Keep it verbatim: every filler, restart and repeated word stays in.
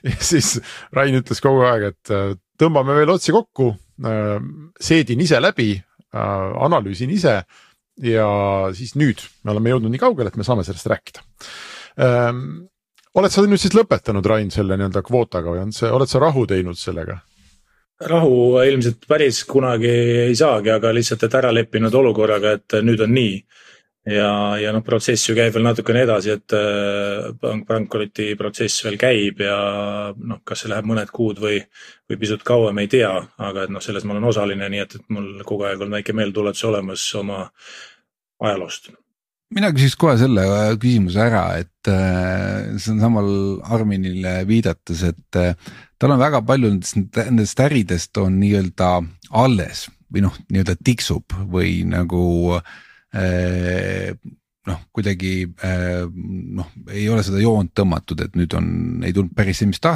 ja siis Rain ütles kogu aeg, et tõmbame veel otsi kokku, seedin ise läbi, analüüsin ise ja siis nüüd me oleme jõudnud nii kaugele, et me saame sellest rääkida. Oled sa nüüd siis lõpetanud, Rain, selle nii-öelda kvootaga või on see, oled sa rahu teinud sellega? Rahu ilmselt päris kunagi ei saagi, aga lihtsalt, et ära leppinud olukorraga, et nüüd on nii. Ja, ja noh, protsess ju käib veel natukene edasi, et pankroti protsess veel käib ja noh, kas see läheb mõned kuud või, või pisut kauem ei tea, aga et noh, selles ma olen osaline, nii et, et mul kogu aeg on väike meeltuletus olemas oma ajaloost. Mina küsiks kohe selle küsimuse ära, et see on samal Arminile viidates, et tal on väga palju nendest, nendest äridest on nii-öelda alles või noh, nii-öelda tiksub või nagu noh, kuidagi noh, ei ole seda joont tõmmatud, et nüüd on, ei tulnud päris see, mis